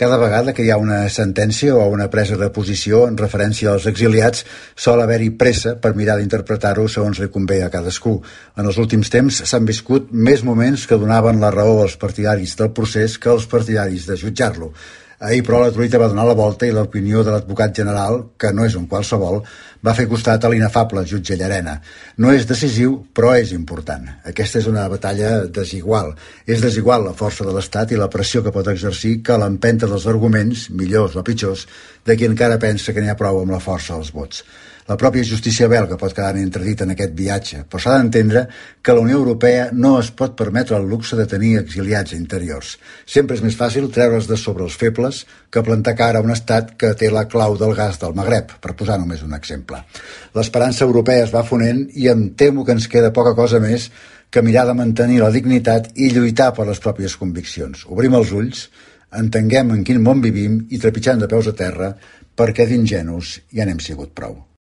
Cada vegada que hi ha una sentència o una presa de posició en referència als exiliats, sol haver-hi pressa per mirar d'interpretar-ho segons li convé a cadascú. En els últims temps s'han viscut més moments que donaven la raó als partidaris del procés que als partidaris de jutjar-lo. Ahir, però, la truita va donar la volta i l'opinió de l'advocat general, que no és un qualsevol, va fer costat a l'inefable jutge Llarena. No és decisiu, però és important. Aquesta és una batalla desigual. És desigual la força de l'Estat i la pressió que pot exercir que l'empenta dels arguments, millors o pitjors, de qui encara pensa que n'hi ha prou amb la força dels vots. La pròpia justícia belga pot quedar entredita en aquest viatge, però s'ha d'entendre que la Unió Europea no es pot permetre el luxe de tenir exiliats interiors. Sempre és més fàcil treure's de sobre els febles que plantar cara a un estat que té la clau del gas del Magreb, per posar només un exemple. L'esperança europea es va fonent i em temo que ens queda poca cosa més que mirar de mantenir la dignitat i lluitar per les pròpies conviccions. Obrim els ulls, entenguem en quin món vivim i trepitjant de peus a terra, perquè d'ingenus ja n'hem sigut prou.